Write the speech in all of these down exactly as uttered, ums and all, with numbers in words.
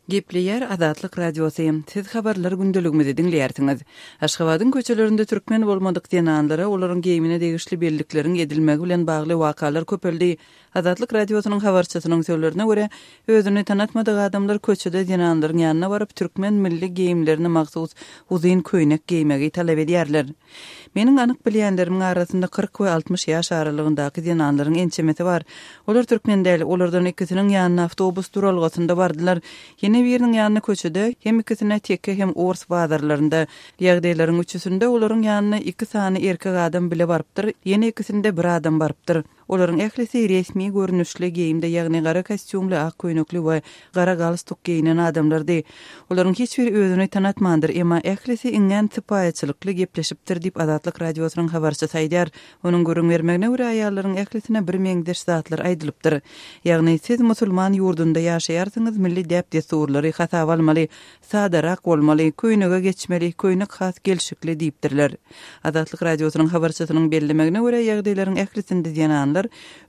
Gepleýär Azatlyk Radiosy. Siz habarlar gündeligimizi diňleýärsiňiz. Aşgabadyň köçelerinde türkmen bolmadyk zenanlara olaryň geýimine degişli bellikleriň edilmegi bilen bagly wakalar köpeldi. Azatlyk Radiosynyň habarçysynyň sözlerine görä, özüni tanatmadyk adamlar köçede zenanlaryň ýanyna baryp, türkmen milli geýimlerine mahsus uzyn köýnek geýmegi talap edýärler. Meniň anyk bilýänlerimiň arasynda kyrk we altmyş ýaş aralygyndaky zenanlaryň ençemesi bar. Olar türkmen däl, olardan ikisiniň ýanyna awtobus duralgasynda bardylar. Ýene biriniň ýanyna köçede, hem ikisine teke hem ors bazarlarynda. Ýagdaýlaryň üçüsinde olaryň ýanyna iki sany erkek adam bile barypdyr, ýene ikisinde bir adam barypdyr. Olaryň ählisi resmi görnüşli geýimde, ýagny gara kostýumly, ak köýnekli we gara galstuk geýnen adamlardy. Olaryň hiç biri özüni tanatmandyr, emma ählisi iňňän sypaýyçylykly gepleşipdir diýip Azatlyk Radiosynyň habarçysy aýdýar. Onuň gürrüň bermegine görä, aýallaryň ählisine bir meňzeş zatlar aýdylypdyr. Ýagny siz musulman ýurdunda ýaşaýarsyňyz, milli däp-dessurlary hasaba almaly, sadarak bolmaly, köýnege geçmeli, köýnek has gelşikli diýipdirler. Azatlyk Radiosynyň habarçysynyň bellemegine görä, ýagdaýlaryň ählisinde zenanlar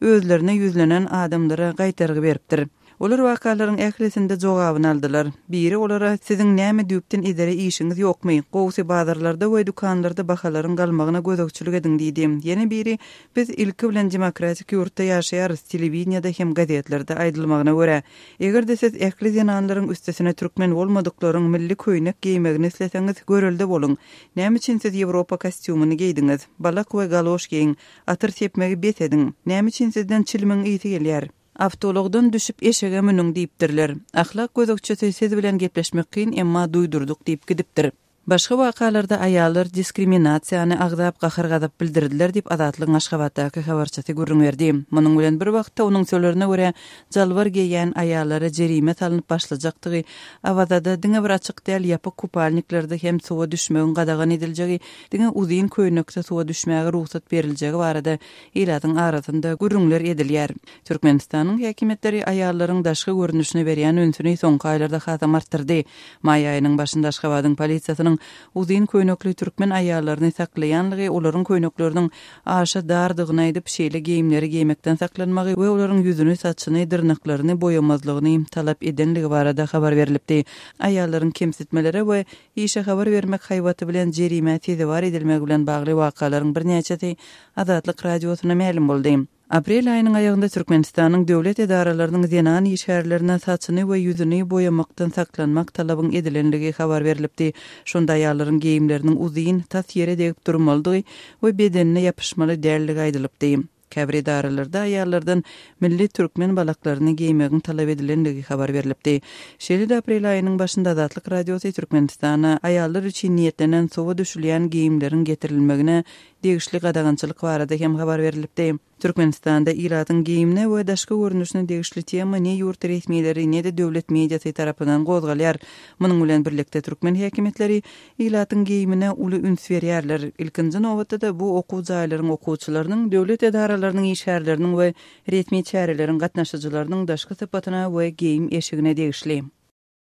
özlerine ýüzlenen adamlara gaýtargy beripdir. Olar wakalaryň ählisinde jogabyny aldylar. Biri olara siziň näme düýpden edere işiňiz ýokmy? Gowsy bazarlarda we dükanlarda bahalaryň galmagyna gözegçilik ediň diýdi. Ýene biri biz ilki bilen demokratik ýurtda ýaşaýarys, telewideniýede hem gazetlerde aýdylmagyna görä, eger-de siz ähli zenanlaryň üstesine türkmen bolmadyklaryň milli köýnek geýmegini isleseňiz, görelde boluň. Näme üçin siz Ýewropa kostýumyny geýdiňiz? Balak we galoş geýiň, atyr sepmegi bes ediň. Näme üçin sizden çilimiň ysy gelýär? Awtologdan düşüp eşege münüň diýipdirler. Ahlak gözegçisi siz bilen gepleşmek kyn, emma duýdurdyk diýip gidipdir. Başga wakalarda aýallar diskriminasiýany agzap gahar-gazap bildirdiler diýip Azatlygyň Aşgabatdaky habarçysy gürrüň berdi. Munuň bilen bir wagtda onuň sözlerine görä jalbar geýen aýallara jerime salnyp başlajakdygy, Awazada diňe bir açyk däl ýapyk kupalniklerde hem suwa düşmegiň gadagan ediljegi, diňe uzyn köýnekde suwa düşmäge rugsat beriljegi barada ilatyň arasynda gürrüňler edilýär. Türkmenistanyň häkimiýetleri aýallaryň daşky görnüşine berýän ünsüni soňky aýlarda hasam artdyrdy. Maý aýynyň başynda Aşgabadyň polisiýasynyň uzyn köýnekli türkmen aýallaryny saklaýanlygy, olaryň köýnekleriniň aşa dardygyny aýdyp, şeýle geýimleri geýmekden saklanmagy we olaryň ýüzüni, saçyny, dyrnaklaryny boýamazlygyny talap edenligi barada habar berilipdi. Aýallaryň kemsitmelere we işe habar bermek haýbaty bilen jerime sezewar edilmegi bilen bagly wakalaryň birnäçesi Azatlyk Radiosyna mälim boldy. Aprel aýynyň aýagynda Türkmenistanyň döwlet edaralarynyň zenan işgärlerine saçyny we ýüzüni boýamakdan saklanmak talabyň edilenligi habar berilipdi. Şonda aýallaryň geýimleriniň uzyn, tas ýere degip durmalydygy we bedenine ýapyşmaly dälligi aýdylypdy. Käbir edaralarda aýallardan milli türkmen balaklaryny geýmegiň talap edilenligi habar berilipdi. Şeýle-de aprel aýynyň başynda Azatlyk Radiosy Türkmenistana aýallar üçin niýetlenen suwa düşülýän geýimleriň getirilmegine degişli gadagançylyk barada hem habar berilipdi. Türkmenistanda ilatyň geýimine we daşky görnüşine degişli tema ne ýurt resmileri, ne-de döwlet mediasy tarapyndan gozgalýar. Munuň bilen birlikde türkmen häkimiýetleri ilatyň geýimine uly üns berýärler. Ilkinji nobatda-da bu okuw jaýlaryň okuwçylarynyň, döwlet edaralarynyň işgärleriniň we resmi çäreleriň gatnaşyjylarynyň daşky sypatyna we geýim eşigine degişli.